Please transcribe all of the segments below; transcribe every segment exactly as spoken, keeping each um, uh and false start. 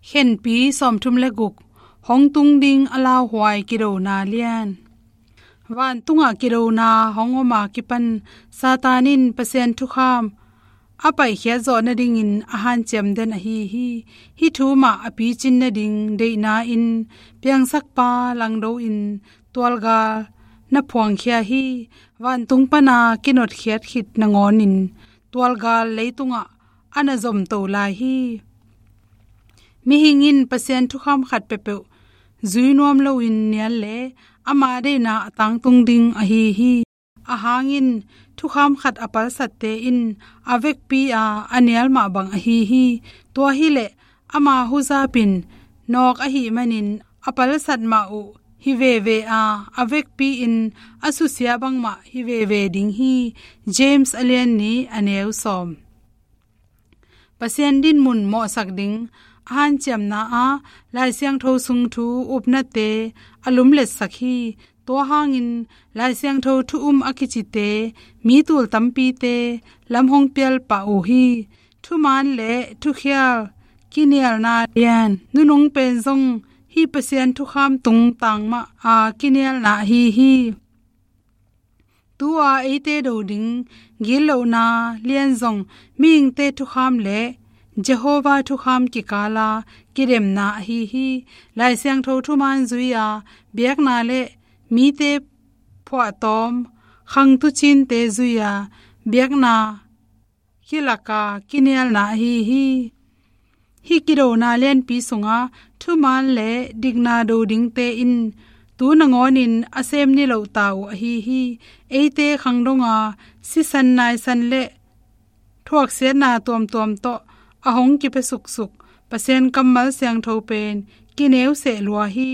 Khenpi sawmthum le guk. Hong tung ding a lauhuai kidona lian. Vantungah kidona hong om a kipan Satan in Pasian thukham a paikhiat zawh nadingin a hanciam den ahi hi. Hih thu mah a picin nading deihna in piangsakpa langdo in tualgal na phuangkhia hi. Vantung pana kinotkhiat khit nangawnin tualgal leitungah a na zomto lai hi. Mihing in Pasian thukham khat peuhpeuh zui nuam loin nial le ama deihna a tangtung ding ahi hi. A hangin thukham khat a palsatte in a vekpi a a nial mah bang ahi hi. Tua hileh ama huzapin nawk ahih manin a palsat mah uh hi veve a, a vekpi in a susia bangmah hi veve ding hi. James a lian nih a neu sawm. Pasian dinmun mawhsak ding a hanciamna ah Lai Siangtho sung thu upnate a lumletsak hi. Tua hangin Lai Siangtho thu um a kicite mi tul tampite lam hong pial pah uh hi. Thuman le thukhial kinialna lian nunung pen zong hih Pasian thukham tungtang mah a kinialna ahi hi. Tu-a eite do ding gitlohna lian zong mihingte thukham le Jehovah thukham kikala kidemna ahi hi. Lai Siangtho thuman zui-a biakna le mite phuahtawm khangtucinte zui-a biakna khilaka kinialna ahi hi. Hih kidona lianpi sungah thuman le dikna do dingte in tu nangawnin a sem nilohta uh ahi hi. Eite khangdonga sisan naisan le thuaksiatna tuamtuam tawh a hong kipia suksuk Pasian kammal siangtho pen kineu seh lua hi.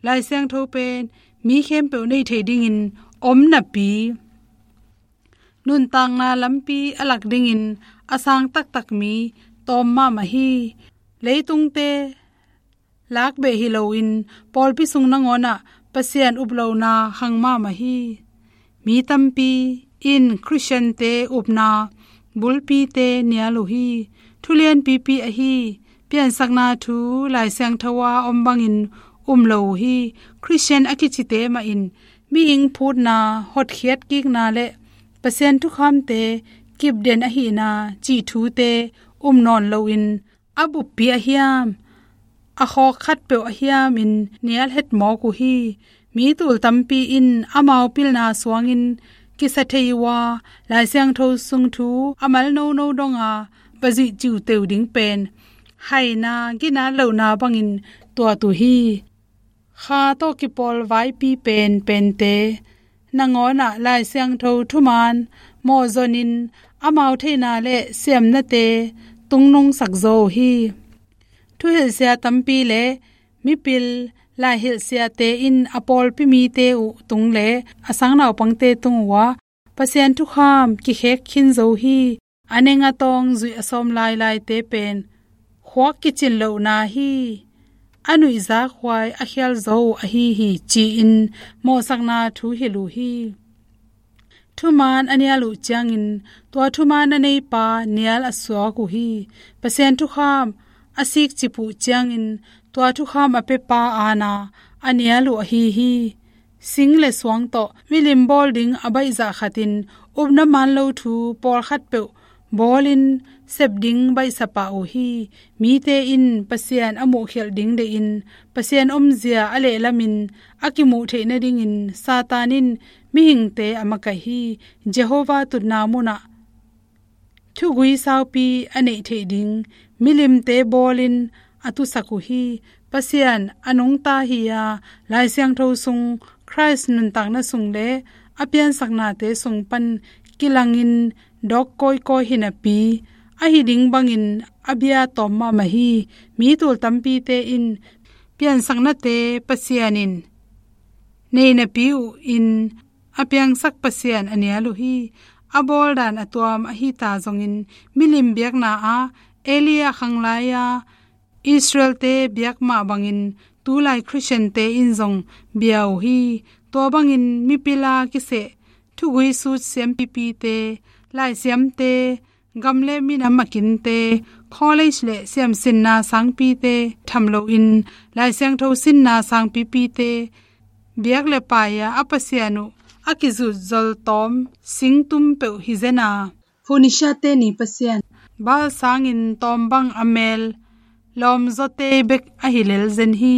Lai Siangtho pen mi khempeuh neih theih dingin om napi nuntakna lampi a lak dingin a sang taktak mi tawm mahmah hi. Leitungte lakbeh hi loin pawlpi sung nangawnah Pasian uplohna khang mahmah hi. Mi tampi in Khristiante upna bulpite nial uh hi. Thulianpipi ahi piansakna thu Lai Siangtho a om bangin um lo uh hi. Khristian a kicite mah in mihing phutna hotkhiat kikna le Pasian thukhamte kipden ahihna cih thute um nawn loin a buppi ahiam a khawk khatpeuh ahiamin nial hetmawk uh hi. Mi tul tampi in amau pilna suangin kisa thei uh a Lai Siangtho sung thu a mal nono donga va zuih ciuteu ding pen haina ginat lohna bangin tuat uh hi. Kha tawh kipawl vaipi penpente nangawnah Lai Siangtho thuman mawhzonin amau theihna le siamnate tungnungsak zaw uh hi. Thuhilhsia tampi le mipil laihilhsiate in a pawlpi mite uh tung le a sang naupangte tung uhah Pasian thukham kikhek khin zo hi. A neng a tawng zuih a sawm lailaite pen khuak kicin lohna hi. A nuihzak huai a khial zo uh ahi hi ci-in mawhsakna thu hilh uh hi. Thuman a nial uh ciangin tua thuman a neipa nial a suak uh hi. Pasian thukham a sikcip uh ciangin tua thukham a pepa aana a nial uh ahi hi. Sing le suang tawh milim bawl ding a baihzah khatin upna man lo thu pawlkhat peuh bawlin sep ding baihsa pah uh hi. Mite in Pasian a muhkhialh ding deihin Pasian omzia a lehlamin a kimuh theih nadingin Satan in mihingte a makaih hi. Jehovah tutna munah thugui saupi a neih theih ding milimte bawlin a tusak uh hi. Pasian a nungta hi-a Lai Siangtho sung Khrist nuntakna sung le a piansaknate sung pan kilangin dawk kawikawi hi napi a hi ding bangin a bia tawm mahmah hi. Mi tul tampite in piansaknate Pasian in nei napi uh in a piangsak Pasian a nial uh hi. A bawldan a tuam ahi ta zongin milim biakna ah Elijah khanglaia Israelte biak mah bangin tulai Khristiante in zong bia uh hi. Tua bangin mipila kiseh thugui sut siampipite, laisiamte, gam le minam a kinte, college le siamsinna sangpite tham loin, Lai Siangtho sinna sangpipite biak le pai-a a Pasian uh a kizut zoltawm singtum peuh hi zen a, Phoenicia-te ni pasian Baal sangin tawm bang a mel lawmzawte bek ahi lel zen hi.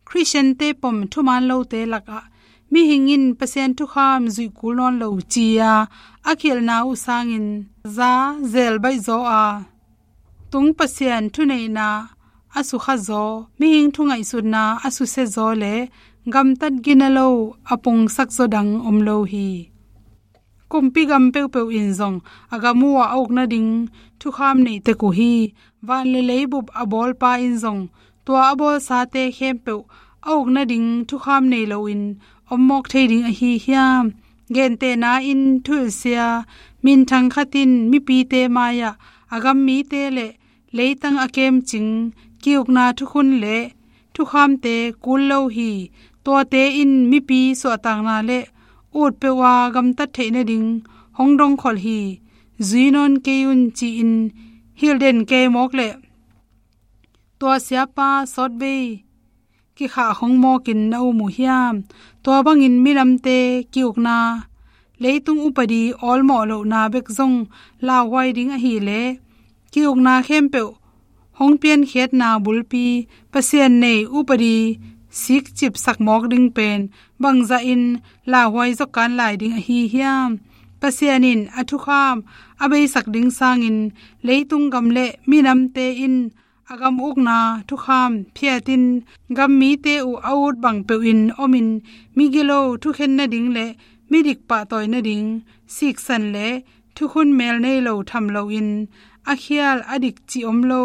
Khristiante pom thuman lote lakah mihing in Pasian thukham zuih kul nawn lo ci-a a khialhna uh sangin za zel baihzaw a, tung Pasian thuneihna a sukhazaw, mihing thungaihsutna a susiazaw le gamtat gina lo a pungsak zaw dang om lo hi. Kumpi gam peuhpeuh in zong a gam uh a uk nading thukham nei tek uh hi. Van le leibup a bawlpa in zong tua a bawlsate khempeuh a uk nading thukham nei loin om mawk thei ding ahi hiam? Gentehna in thuhilhsia minthang khat in mipite mai-ah a gam mite le leitang a kemcing ki-ukna thukhun le thukhamte kul lo hi. Tuate in mipi suahtakna le ut peuh a gamtat theih nading hong dongkholh hi. Zui nawn kei un ci-in hilh den kei mawk leh tua siapa sawtvei kikhah hong mawkin na um uh hiam? Tua bangin minamte ki-ukna, leitung upadi awlmawh lohna bek zong lauhuai ding ahileh ki-ukna khempeuh hong piankhiatna bulpi Pasian nei upadi sikcipsak mawk ding pen bangzahin lauhuai zaw kan lai ding ahi hiam? Pasian in a thukham a beisak ding sangin leitung gam le minamte in a gam ukna thukham phiatin gam mite uh a ut bang peuhin omin migilo thukhen nading le midik pahtawi nading siksan le thukhun mel nei lo tham loin a khial a dik cih om lo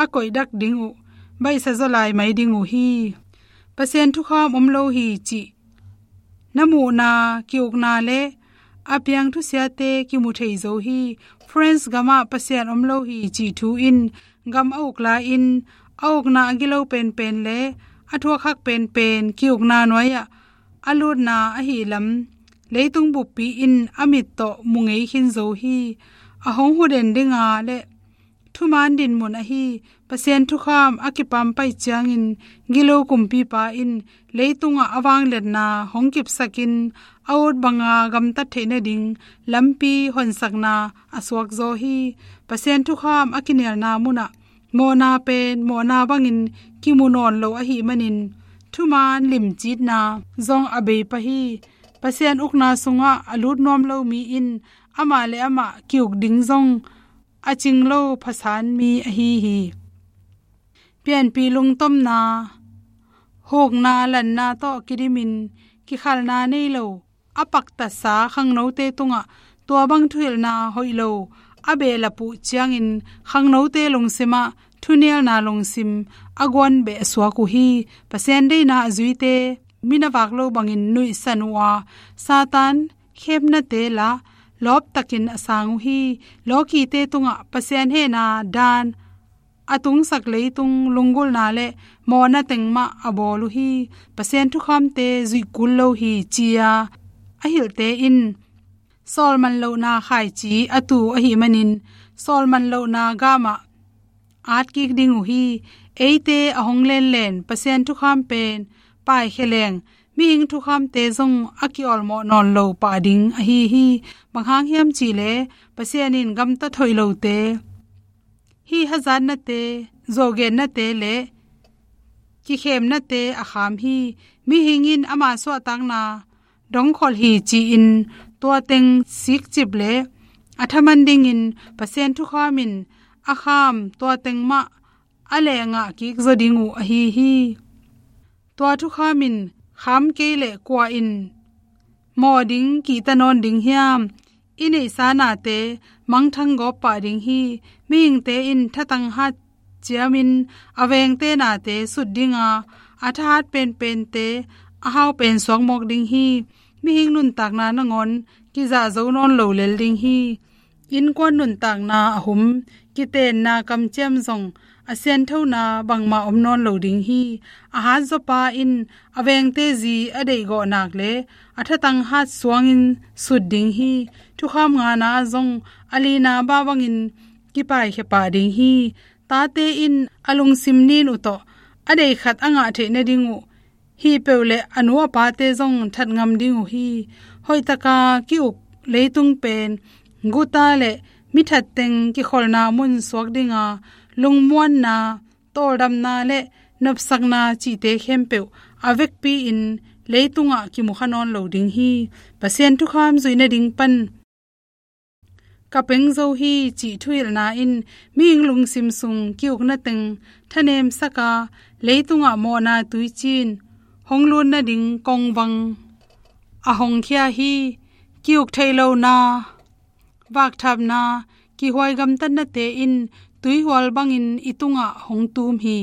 a koihdak ding uh baihsa zaw lai mai ding uh hi. Pasian thukham om lo hi cih na muhna ki-ukna le a piang thusiate kimu thei zo hi. France gamah Pasian om lo hi cih thu in gam a uk lai-in a ukna a gilo penpen le a thuakhak penpen ki-ukna nuai-ah a lutna ahi lam leitung buppi in a mit tawh mu ngei khin zo hi. A hong huden dinga le thuman dinmun ahi Pasian thukham a kipampaih ciangin gilo kumpipa in leitungah a vangliatna hong kipsakin a ut banga gamtat theih nading lampi honsakna a suakzaw hi. Pasian thukham a kinialna munah mawhna pen mawhna bangin kimu nawn lo ahih manin thuman limcitna zong a bei pah hi. Pasian ukna sungah a lut nuam lo mi in amah le amah ki-uk ding zong a cing lo phasan mi ahi hi. Pianpih lungtomna, hukna, lanna tawh kidimin kikhalhna nei lo a paktatsa khangnote tungah tua bang thuhilhna hoih lo a behlap uh ciangin khangnote lungsimah thunialna lungsim a guan beh a suak uh hi. Pasian deihna a zuite mi na vak lo bangin nuihsan uh a, Satan khemnate la lawptakin a sang uh hi. Lawkite tungah Pasian hehna dan a tungsak leitung lunggulhna le mawhna teng mah a bawl uh hi. Pasian thukhamte zuih kul lo hi ci-a a hilhte in sawlman lohna khaici a tu ahih manin sawlman lohna gamah at kik ding uh hi. Eite a hong lenlen Pasian thukham pen paikhia leng mihing thukhamte zong a ki-awlmawh nawn lo pah ding ahi hi. Bang hang hiam cihleh Pasian in gamtat hoih lote, hih hazatnate, zuaugennate le kikhemnate a kham hi. Mihing in ama suahtakna dongkholh hi ci-in tua teng sikcip le a thaman dingin Pasian thukham in a kham tua teng mah a lehngah kik zaw ding uh ahi hi. Tua thukham in kham kei leh kua in mawh ding kihta nawn ding hiam? I neihsa nate mangthang gawp pah ding hi. Mihingte in thatang hat ciamin a vengte nate sut dinga, a thahat penpente a hau pen suak mawk ding hi. Mihing nuntakna nangawn kizah zo nawn lo lel ding hi. Innkuan nuntakna a hum kitenna kamciam zong a sianthona bangmah om nawn lo ding hi. A hatzaw pa in a vengte zi a deihgawh nak le a thatang hat suangin sut ding hi. Thukham ngana ah zong a lina bah bangin kipaikhia pah ding hi. Tate in a lungsim nin uh tawh a deih khat a ngah theih nading uh hih peuh le a nu a pate zong that ngam ding uh hi. Hoihtaka ki-uk leitung pen guta le mithat teng kikholhna mun suak dinga, lungmuanna, tawldamna le nopsakna cihte khempeuh a vekpi-in leitungah kimukha nawn lo ding hi. Pasian thukham zuih nading pan ka peng zo hi cih thuhilhna in mihing lungsim sung ki-ukna teng thanemsaka, leitungah mawhna tuicin hong lut nading kongvang a hongkhia hi. Ki-uk theih lohna, vakthapna, kihuai gamtatnate in tuihual bangin i tungah hong tum hi.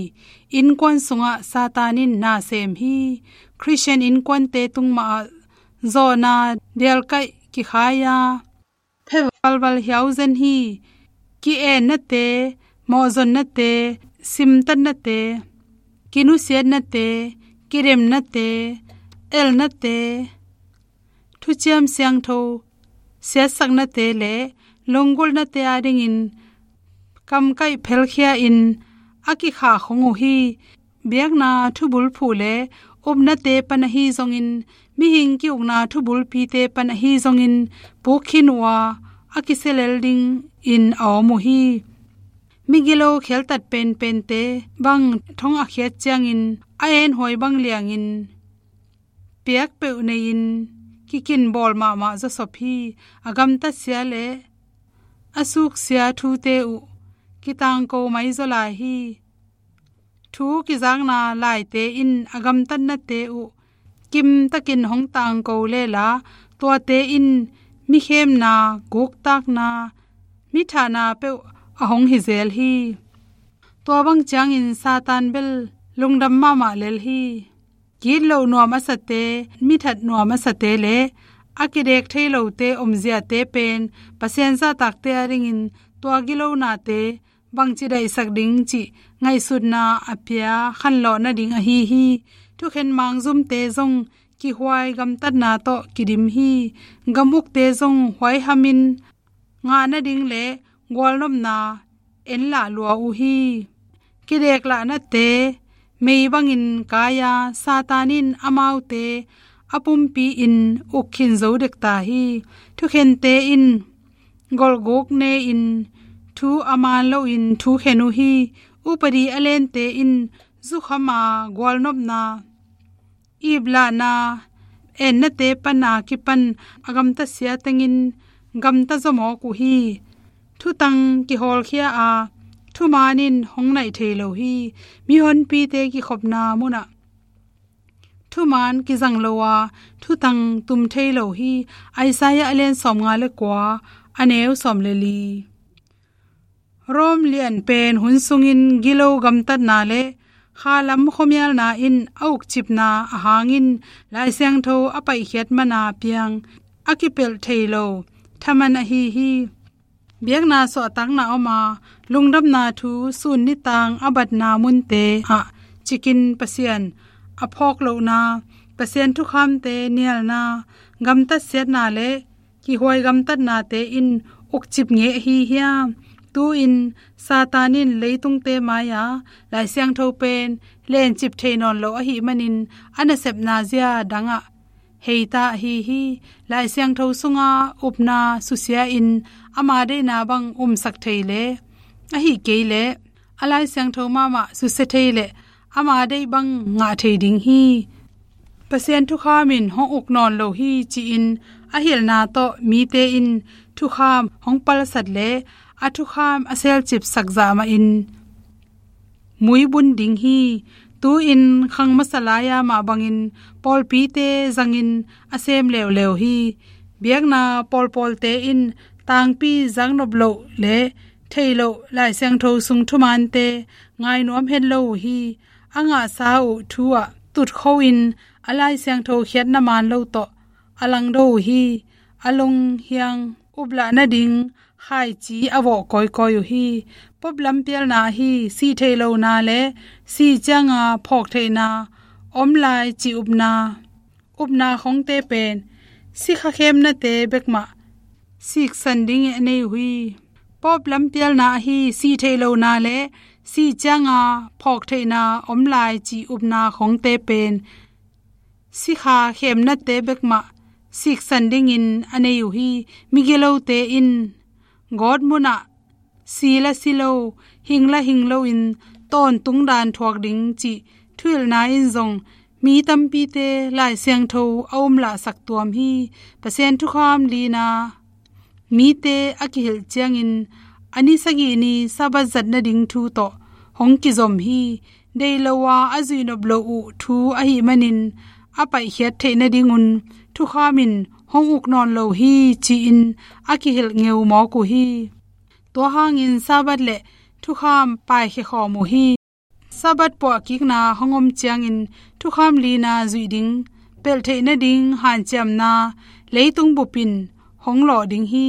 Innkuan sungah Satan in na sem hi. Khristian innkuante tung mahah zawhna dialkaih kikhai-a, phe valval hiau zen hi. Ki-ennate, mawhzonnate, simtatnate, kinusiatnate, kidemnate, elnate, thuciam siangtho siatsaknate le lunggulhnate adingin kamkaih phelkhia-in a kikhahkhong uh hi. Biakna thubulphuh le upnate pan ahi zongin, mihing ki-ukna thubulpite pan ahi zongin, puk khin uh a, a kisia lel dingin a om uh hi. Migilo kheltat penpente bang thong a khiat ciangin a enhuai bang liangin piak peuh nei-in kikinbawl mahmah zawsop hi. A gamtatsia le a suksia thute uh kitangko maizaw lai hi. Thu kizakna laite in a gamtatnate uh kimtakin hong tangko lela, tuate in mikhemna, guktakna, mithahna peuh a hong hi zel hi. Tua bang ciangin Satan bel lungdam mahmah lel hi. Gitloh nuam a sate, mithat nuam a sate le a kidek thei lote omziate pen Pasian zahtakte adingin tua gilonate bangci daihsak ding cih ngaihsutna a pia khanlawh nading ahi hi. Thukhen mangzumte zong kihuai gamtatna tawh kidim hi. Gamukte zong huaihamin ngah nading le gualnopna enlah lua uh hi. Kideklahnate mei bangin kai-a, Satan in amaute a pumpi-in uk khin zo dek ta hi. Thukhente in golhguk ne-in thu a man loin thukhen uh hi. Upadi a lente in zukhama, gualnopna, iplahna, ennate pana kipan a gamtatsia tengin gamta zawmawk uh hi. Thutang kihawlkhia a, thuman in hong naih thei lo hi. Mihonpite kikhopna munah thuman kizang lo a, thutang tum thei lo hi. Isaiah a lian sawmnga le kua, a neu sawm le li. Rome lian pen hun sungin gilo gamtatna le khalam khuamialna in a ukcipna a hangin Lai Siangtho a paihkhiat mana piang a kipelh thei lo thaman ahi hi. Biakna suahtakna om a, lungdamna thu sun nitang a batna munte ah cikin Pasian a phawk lohna, Pasian thukhamte nialna, gamtatsiatna le kihuai gamtatnate in ukcip ngei ahi hiam? Tu-in Satan in leitungte mai-a Lai Siangtho pen lencip thei nawn lo ahih manin a nasepna zia dangah heita ahi hi. Lai Siangtho sunga upna susia-in ama deihna bang umsak thei le, ahih kei leh a Lai Siangtho mahmah susia thei leh ama deih bang ngah thei ding hi. Pasian thukham in hong uk nawn lo hi ci-in a hilhna tawh mite in thukham hong palsat le a thukham a selcipsak zah mahin muibun ding hi. Tu-in khang masa lai-a mah bangin pawlpite zangin a sem leuleu hi. Biakna pawlpawlte in tangpi zaknop loh le theih loh Lai Siangtho sung thumante ngainuam het lo uh hi. A ngahsa uh thu ah tutkho-in a Lai Siangtho khiatna man lo tawh a langdo uh hi. A lunghiang uplah nading khaici a vawh kawikawi uh hi. Pope lampialna ahi sih theih lohna le sih cianga phawk theihna om lai cih upna, upna khongte pen sikha khemnate bekmah siksan dingin a nei uh hi. Pope lampialna ahi sih theih lohna le sih cianga phawk theihna om lai cih upna khongte pen sikha khemnate bekmah siksan dingin a nei uh hi. Migilote in gawtmunah si la si lo, hing la hing loin tawntung dan thuak ding cih thuhilhna in zong mi tampite Lai Siangtho a umlahsak tuam hi. Pasian thukham lina mite a kihilh ciangin a ni sagih ni Sabbath zat nading thu tawh hong kizom hi. Deih lo a a zuihnop loh uh thu ahih manin a paihkhiat theih nadingun thukham in hong uk nawn lo hi ci-in a kihilh ngeu mawk uh hi. Tua hangin Sabbath le thukham paikhia khawm uh hi. Sabbath puahkikna hong om ciangin thukham lina zuih ding, pelh theih nading hanciamna leitung bup in hong lawh ding hi.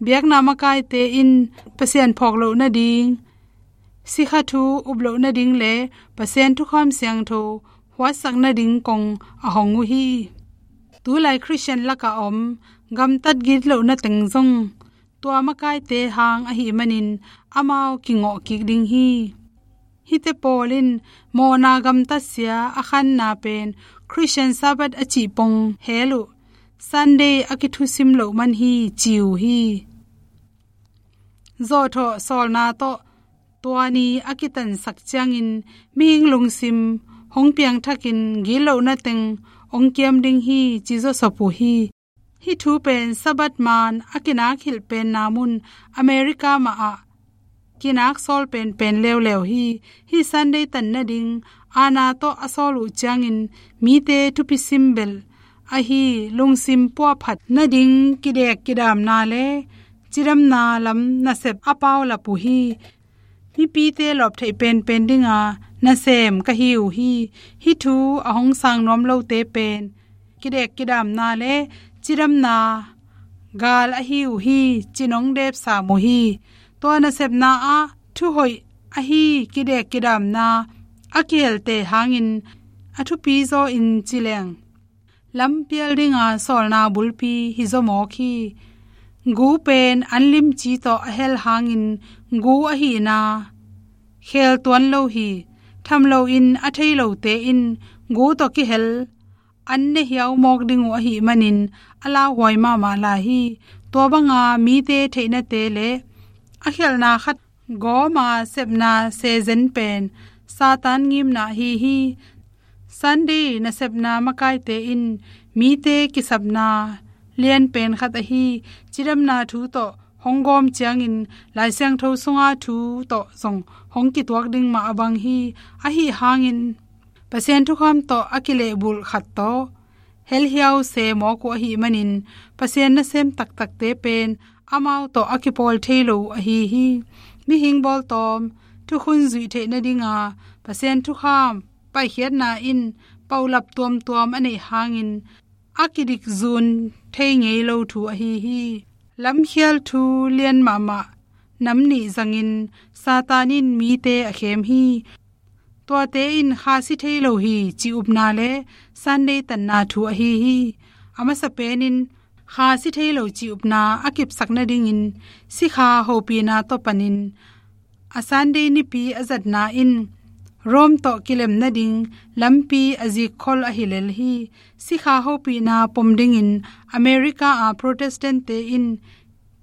Biakna makaite in Pasian phawk loh nading, sikha thu up loh nading le Pasian thukham siangtho huatsak nading kong a hong uh hi. Tulai Khristian lakah om gamtat gitlohna teng zong tua makaite hang ahih manin amau kingawh kik ding hi. Hihte pawl in mawhna gamtatsia a khanna pen Khristian Sabbath a cih pong hel uh, Sunday a kithusim loh man hi ci uh hi. Zawhthawh sawlna tawh tua ni a kitansak ciangin mihing lungsim hong piangthakin gitlohna teng hong kiam ding hi ci zawsop uh hi. Hih thu pen Sabbath man a kinakhilh penna mun America mahah kinak sawl penpen leuleu hi. Hih Sunday tan nading aana tawh a sawl uh ciangin mite thupi simbel ahi lungsim puahphat nading kidek kidamna le cidamna lam nasep a paulap uh hi. Mipite lawp theih penpen dinga nasem ka hi uh hi. Hih thu a hong sang nuam lote pen kidek kidamna le cidamna gal ahi uh hi ci nong depsam uh hi. Tua nasepna ah thuhoih ahi kidek kidamna a kihelte hangin a thupi zaw in ci leng lampial dinga sawlna bulpi hi zaw mawk hi. Gu pen an limci tawh a hel hangin gu ahihna khel tuan lo hi. Tham loin a thei lote in gu tawh kihel an ne hiau mawk ding uh ahih manin a lauhuai mahmah lai hi. Tua banga mite theihnate le a khialhna khat gawma sepna sezen pen Satan ngimna ahi hi. Sunday nasepna makaite in mite kisapna lianpen khat ahi cidamna thu tawh hong gawm ciangin Lai Siangtho sunga thu tawh zong hong kituak ding mah a bang hi. Ahi hangin Pasian thukham tawh a kilehbulh khat tawh helhiau se mawk uh ahih manin Pasian nasem taktakte pen amau tawh a kipawl thei lo uh ahi hi. Mihing bawltawm thukhun zuih theih nadinga Pasian thukham paikhiatna in paulap tuamtuam a neih hangin a kidikzun thei ngei lo thu ahi hi. Lamkhial thu lian mahmah nam nih zangin Satan in mite a khem hi. Tuate in kha si thei lo hi ci upna le Sunday tanna thu ahi hi. A masa penin kha si thei lo ci upna a kipsak nadingin sikha hopihna tawh panin a Sunday nipi a zatna in Rome tawh kilem nading lampi a zikkhol ahi lel hi. Sikha hopihna pom dingin America a Protestant-te in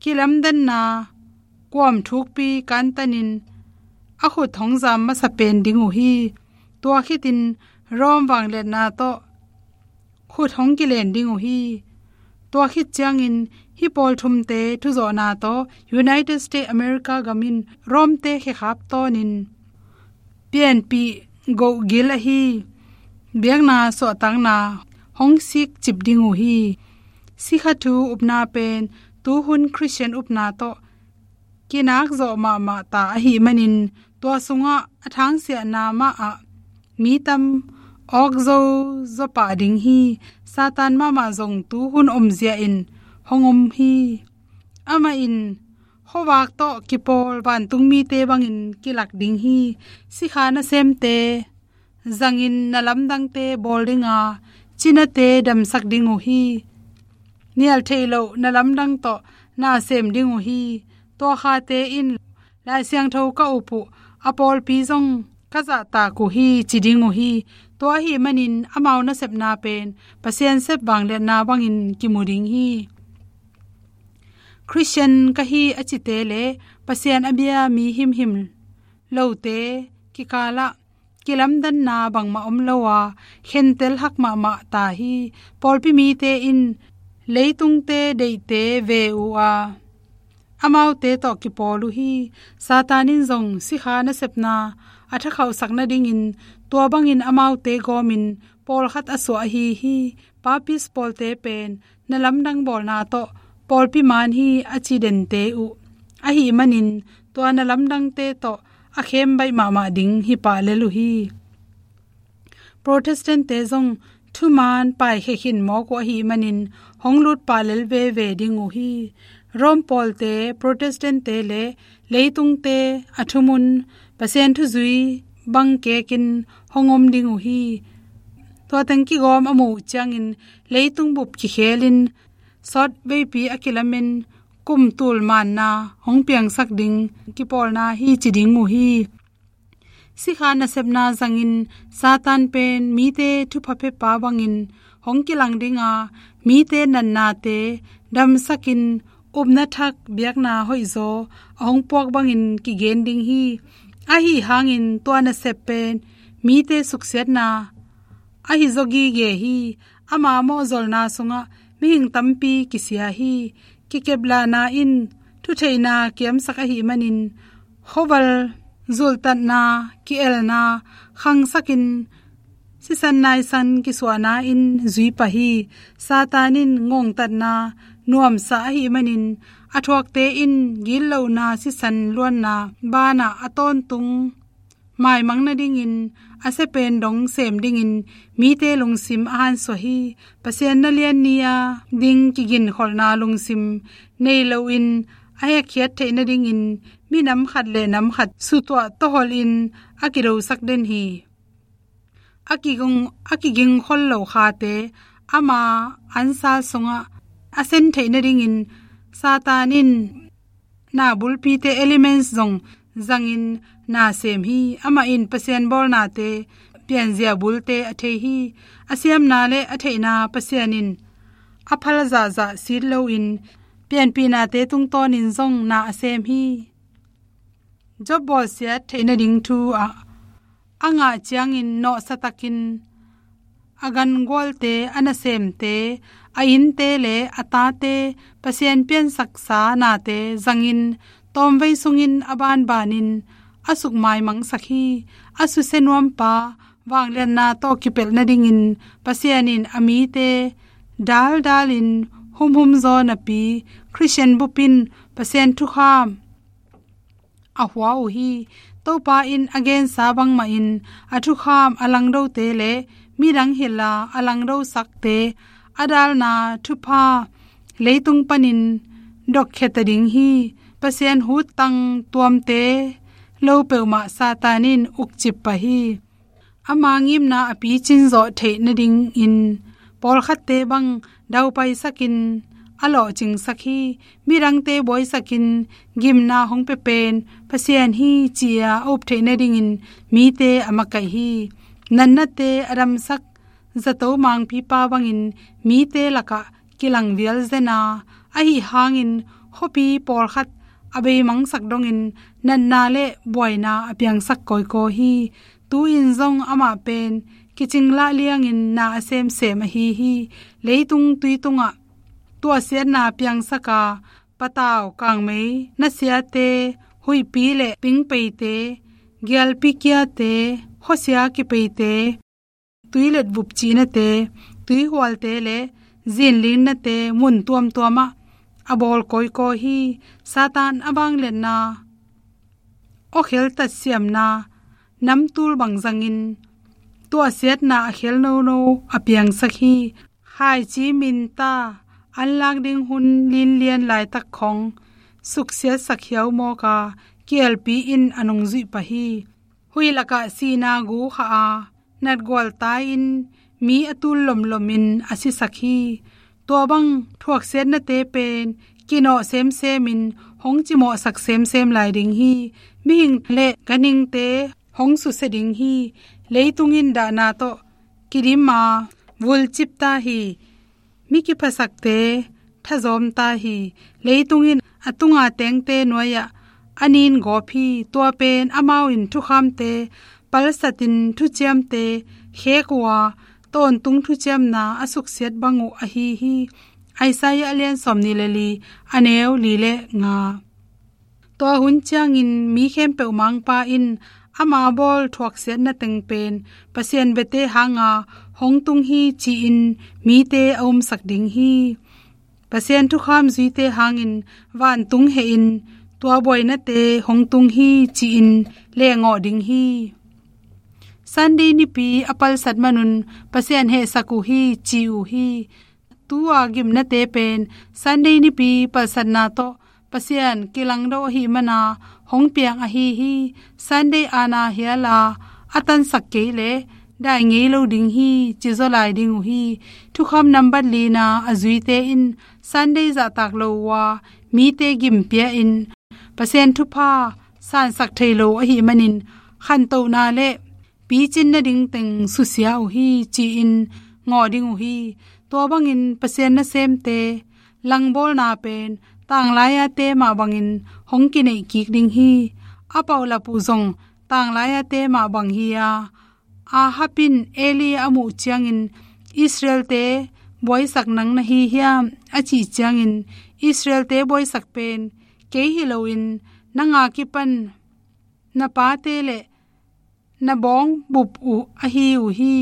kilamdanna kuam thukpi kantanin a khut hong zam masa pen ding uh hi. Tua khitin Rome vangliatna tawh khut hong kilen ding uh hi. Tua khit ciangin hih pawl thumte thuzawhna tawh United States America gam in Rome-te khekhap tawnin pianpih goh gil ahi biakna suahtakna hong sik cip ding uh hi. Sikha thu upna pen tuhun Khristian upna tawh kinak zawh mahmah ta ahih manin tua sungah a thangsiahna mahah mi tam awkzo zaw pah ding hi. Satan mahmah zong tuhun omzia in hong om hi. Amah in Khuavak tawh kipawl vantung mite bangin kilak ding hi. Sikha nasemte zangin na lamdangte bawl dinga, cinate damsak ding uh hi. Nial theih loh na lamdang tawh na sem ding uh hi. Tua khate in Lai Siangtho ka up uh, a pawlpi zong ka zahtak uh hi, ci ding uh hi. Tua ahih manin amau nasepna pen Pasian sep vangliatna bangin kimu ding hi. Khristian ka hi a cite le Pasian a bia mi himhim lote kikalah kilamdanna bangmah om lo a, khentel hak mahmah ta hi. Pawlpi mite in leitungte deihte ve uh a, amaute tawh kipawl uh hi. Satan in zong sikha nasepna a thakhauhsak nadingin tua bangin amaute gawmin pawlkhat a suah ahi hi. Papist pawlte pen na lamdang bawlna tawh pawlpi man hi, a ci dente uh ahih manin tua na lamdangte tawh a khem baih mahmah ding hi pah lel uh hi. Protestant-te zong thuman paikhia khin mawk uh ahih manin hong lut pah lel veve ding uh hi. Rome pawlte, Protestant-te le leitungte a thumun Pasian thuzui bang kekin hong om ding uh hi. Tua teng kigawm a muh uh ciangin leitung bup kikhelin sawt veipi a kilamen kum tul manna hong piangsak ding kipawlna hi, ci ding uh hi. Sikha nasepna zangin Satan pen mite thupha pia pa bangin hong kilang dinga, mite natnate damsakin upna thak biakna hoihzaw a hong puak bangin kigen ding hi. Ahi hangin tua nasep pen mite suksiatna ahi zaw gige hi. Ama mawhzolna sungah mihing tampi kisia hi. Kikeplahna in thutheihna kiamsak ahih manin khuaval zulhtatna, ki-elna khangsakin sisan naisan kisuahna in zui pah hi. Satan in ngongtatna nuamsa ahih manin a thuakte in gitlohna sisan luanna banah a tawntung maimang nadingin a sia pen dong sem dingin mite lungsim a hansuah hi. Pasian na lian ni-a ding kiginkholhna lungsim nei loin a hekkhiat theih nadingin minam khat le nam khat sutuah tawholhin a kidosak den hi. A kiging, a kigingkhol lo khate ama ansal sungah a sen theih nadingin Satan in na bulpite, elements zong zangin na sem hi. Amah in Pasian bawlnate pianzia bulte a thei hi. A siamna le a theihna Pasian in a phal zahzah sit loin pianpihnate tungtawnin zong na a sem hi. Job bawlsiat theih nading thu ah a ngah ciangin nawhsatakin a gangualte, a nasemte, a innte le a tate, Pasian piansaksa nate zangin tawmvei sungin a banbanin a sukmaimangsak hi. A susia nuampa vangliatna tawh kipelh nadingin Pasian in a mite daldalin humhum zaw napi Khristian bup in Pasian thukham a hua uh hi. Topa in a gensa bangmahin a thukham a langdote le midang hilh a a langdosakte a dalna thupha leitung panin dokkhia ta ding hi. Pasian huttang tuamte lo peuhmah Satan in ukcip pah hi. Ama ngimna a picin zawh theih nadingin pawlkhatte bang daupaisakin a lawhcingsak hi. Midangte buaisakin gimna hong pia pen Pasian hi ci-a a up theih nadingin mite a makaih hi. Natnate a damsak zato mangpipa bangin mite lakah kilang vial zen a, ahi hangin khuapi pawlkhat a beimangsak dongin natna le buaina a piangsak kawikawi hi. Tu-in zong amah pen kicing lah liangin na a semsem ahi hi. Leitung tui tungah tuahsiatna piangsak a, patau, kangmei, nasiate, huihpi le pingpeite, gialpi kiate, khuasia kipeite, tuilet vup cihnate, tuihualte le zinlinnate mun tuamtuamah a bawl kawikawi hi. Satan a vangliatna, awkhel tatsiamna, namtul bang zangin tuahsiatna a khel nono a piangsak hi. Khaici minta, anlak ding hun linlian laitak khong suksiatsak hiau mawk a, kielpi in a nungzuih pah hi. Huih lakah sihna gu khah a, natgual tai-in mi a tul lomlomin a sisak hi. Tua bang thuaksiatnate pen kinawh semsemin hong cimawhsak semsem lai ding hi. Mihing le ganhingte hong susia ding hi. Leitung in dahna tawh kidim a, vulcip ta hi. Mi kiphasakte thazawm ta hi. Leitung in a tunga tengte nuai-ah a nin gawp hi. Tua pen amau in thukhamte palsatin thuciamte khek uh a, tawntung thuciamna a suksiat bang uh ahi hi. Isaiah a lian sawmnih le li, a neu li le nga. Tua hun ciangin mi khempeuh Mangpa in ama bawl thuaksiatna teng pen Pasian biate hanga hong tung hi ci-in mite a umsak ding hi. Pasian thukham zuite hangin vantung hehin tua buainate hong tung hi ci-in lehngawh ding hi. Sunday nipi a palsat manun Pasian hehsak uh hi ci uh hi. Tua gimnate pen Sunday nipi palsatna tawh Pasian kilangdo ahih mana hong piang ahi hi. Sunday ana hial a, a tansak kei leh dai ngei lo ding hi, ci zaw lai ding uh hi. Thukham nambat lina a zuite in Sunday zahtak lo uh a, mite gim pia-in Pasian thupha sansak thei lo ahih manin khantohna le picin nading teng susia uh hi, ci-in ngawh ding uh hi. Tua bangin Pasian nasemte langbawlna pen tanglai-ate mah bangin hong kineih kik ding hi. A paulap uh zong tanglai-ate mah bang hi a, Ahab in Eli a muh ciangin, Israelte buaisak nang na hi hiam, a cih ciangin, Israelte buaisak pen kei hi loin nang a kipan na pate le na bawngbup uh ahi uh hi.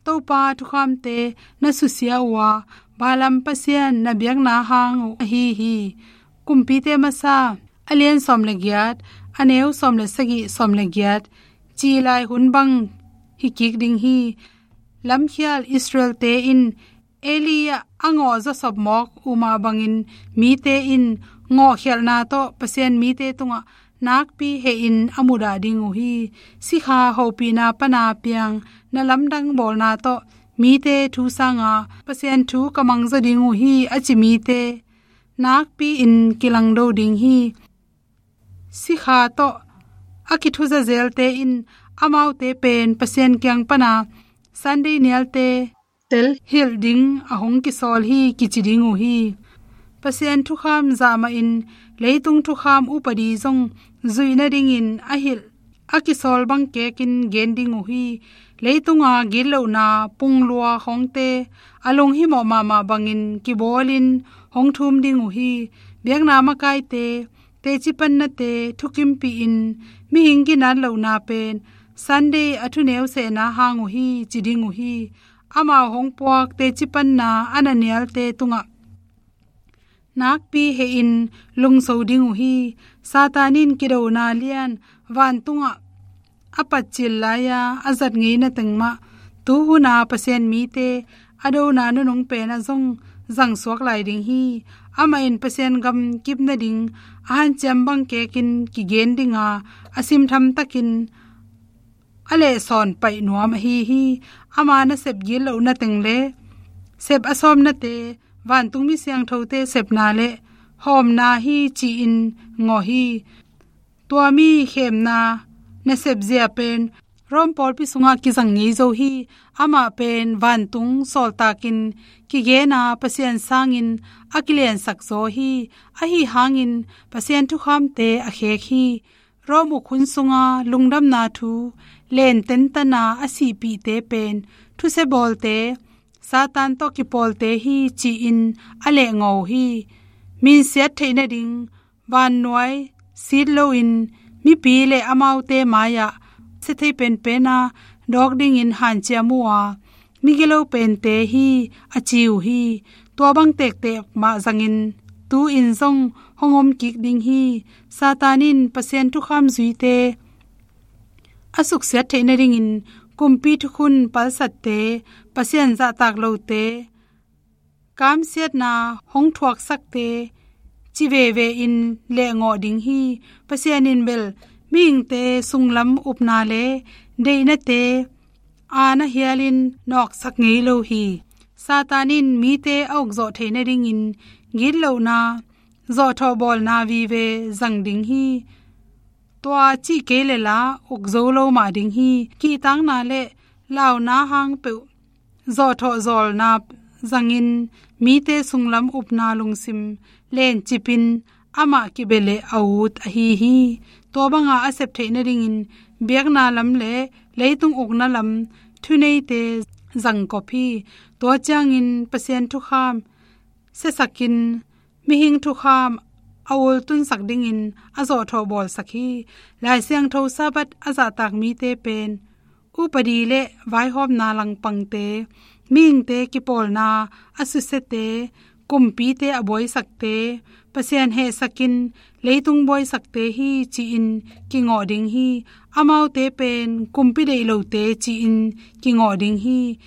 Topa thukhamte na susia uh a, Balaam Pasian na biakna hang uh ahi hi. Kumpite masa a lian sawm le giat, a neu sawm le sagih, sawm le giat ci lai hun bang hi kik ding hi. Lamkhial Israelte in Eli ah a ngawh zawsop mawk uh mah bangin mite in ngawhkhialhna tawh Pasian mite tungah nakpi hehin a mudah ding uh hi. Sikha hopihna pana piang na lamdang bawlna tawh mite thu sanga Pasian thu ka mangzaw ding uh hi, a ci mite nakpi-in kilangdo ding hi. Sikha tawh a kithuzazelte in amaute pen Pasian kiang pana Sunday nialte telhilh ding a hong kisawl hi, kici ding uh hi. Pasian thukham zahmahin leitung thukham upadi zong zuih nadingin a hilh a kisawl bang kekin gen ding uh hi. Leitunga gitlohna punglua khawngte, a lunghimawh mahmah bangin kibawlin hong thum ding uh hi. Biakna makaite, teci pannate thukimpihin mihing ginat lohna pen Sunday a thuneu sehna hang uh hi, ci ding uh hi. Amau hong puak teci panna a na nialte tungah nakpi hehin lungso ding uh hi. Satan in kidona lian vantungah a patcil lai-a a zat ngeina teng mah tuhuna Pasian mite a dona nunung pen a zong zangsuak lai ding hi. Amah in Pasian gam kip nading a hanciam bang kekin kigen dinga, a simtham takin a lehsawn paih nuam ahi hi. Ama nasep gitlohna teng le sep a sawmnate, vantung mi siangthote sepna le hawmna hi, ci-in ngawh hi. Tua mi khemna nasep zia pen Rom pawlpi sungah kizang ngei zo hi. Amah pen vantung sawltakin kigena Pasian sangin a kiliansak zaw hi. Ahi hangin Pasian thukhamte a khek hi. Rom uk hun sunga lungdamna thu len tentana a sihpihte pen thusia bawlte, Satan tawh kipawlte hi, ci-in a lehngawh uh hi. Minsiat theih nading vannuai sit loin mipi le amaute mai-ah sia thei penpena dawk dingin hanciam uh a, migilo pente hi, a ci uh hi. Tua bang tektek mah zangin tu-in zong hong om kik ding hi. Satan in Pasian thukham zuite a suksiat theih nadingin kumpi thukhun palsatte, Pasian zahtak lote, kamsiatna hong thuaksakte, ci veve in lehngawh ding hi. Pasian in bel mihingte sunglam upna le deihnate aana hialin nawksak ngei lo hi. Satan in mite a ukzawh theih nadingin gitlohna, zawhthawh bawlna vive zang ding hi. Tua cih kei le la ukzo lo mah ding hi. Kihtakna le launa hang peuh zawhthawh zawlna zangin mite sunglam upna lungsim lencipin amah kibeleh a ut ahi hi. Tua banga a sep theih nadingin biakna lam le leitung ukna lam thuneite zangkop hi. Tua ciangin Pasian thukham siasakin mihing thukham a ultunsak dingin a zawhthawh bawlsak hi. Lai Siangtho Sabbath a zahtak mite pen upadi le vaihawmna langpangte, mihingte kipawlna a susiate, kumpite a buaisakte, Pasian hehsakin leitung buaisakte hi ci-in kingawh ding hi. Amaute pen kumpi deih lote ci-in kingawh ding hi.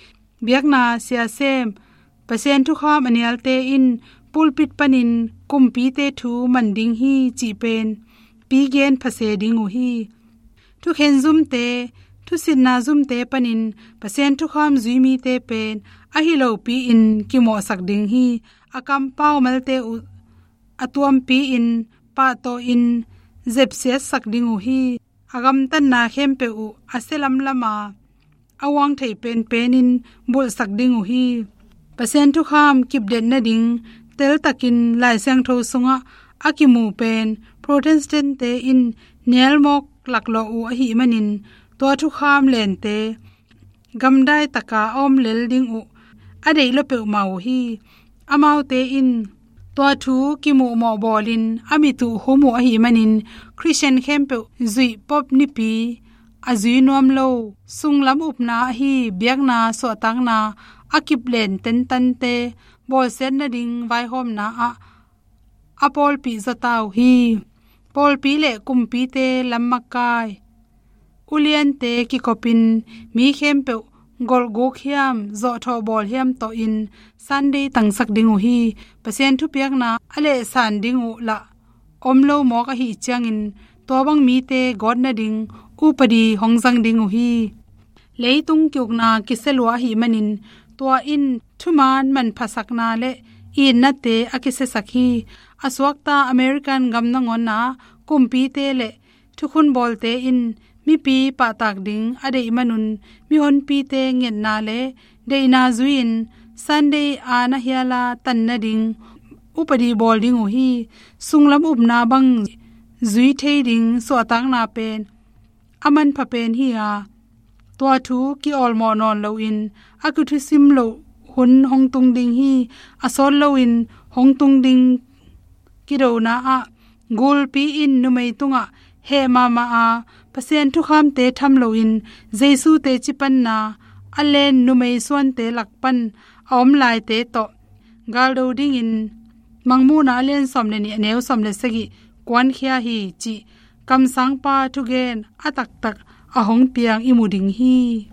Biakna siasem, Pasian thukham a nialte in pulpit panin kumpite thu man ding hi cih pen pigen phase ding uh hi. Thukhen zumte, thusitna zumte panin Pasian thukham zui mite pen ahi lopi-in kimawhsak ding hi. A kampau malte uh a tuampi-in pahtawhin zepsiatsak ding uh hi. A gamtatna khempeuh uh a sia lamlama a uang thei penpenin bulhsak ding uh hi. Pasian thukham kipdet nading teltakin Lai Siangtho sungah a kimu pen Protestant-te in nialmawk laklawh uh ahih manin tua thukham lente gamdai taka a om lel ding uh a deih lua peuhmah uh hi. Amaute in tua thu kimuhmawh bawlin a mit uh hum uh ahih manin Khristian khempeuh zuih pop nipi a zui nuam lo, sunglam upna ahi biakna suahtakna a kiplen tentante bawlsiat nading vaihawmna ah a pawlpih zaw ta uh hi. Pawlpi le kumpite lammakai uliante kikopin mi khempeuh golhguk hiam zawhthawh bawl hiam tawhin Sunday tangsak ding uh hi. Pasian thupiakna a lehsan ding uh lah om lo mawk ahih ciangin tua bang mite gawt nading upadi hong zang ding uh hi. Leitung kiukna kisia lua ahih manin tua in thuman manphasakna le itnate a kisiasak hi. A suakta American gam nangawnah kumpite le thukhun bawlte in mipi pahtak ding a deih manun mihonpite ngetna le deihna zui-in Sunday aana hiala tan nading upadi bawl ding uh hi. Sunglam upna bang zui thei ding suahtakna pen a manpha pen hi a, tua thu ki-awlmawh nawn loin a kithusim loh hun hong tung ding hi. A sawt loin hong tung ding kidona ah gulpi in numei tungah heh mahmah a Pasian thukhamte tham loin Jesu teci panna a len numei suante lak pan a om laite tawh galdo dingin Mangmuhna a lian sawm le nih a neu sawm le sagih kuankhia hi cih kamsangpa thugen a taktak a hong piang i mu ding hi.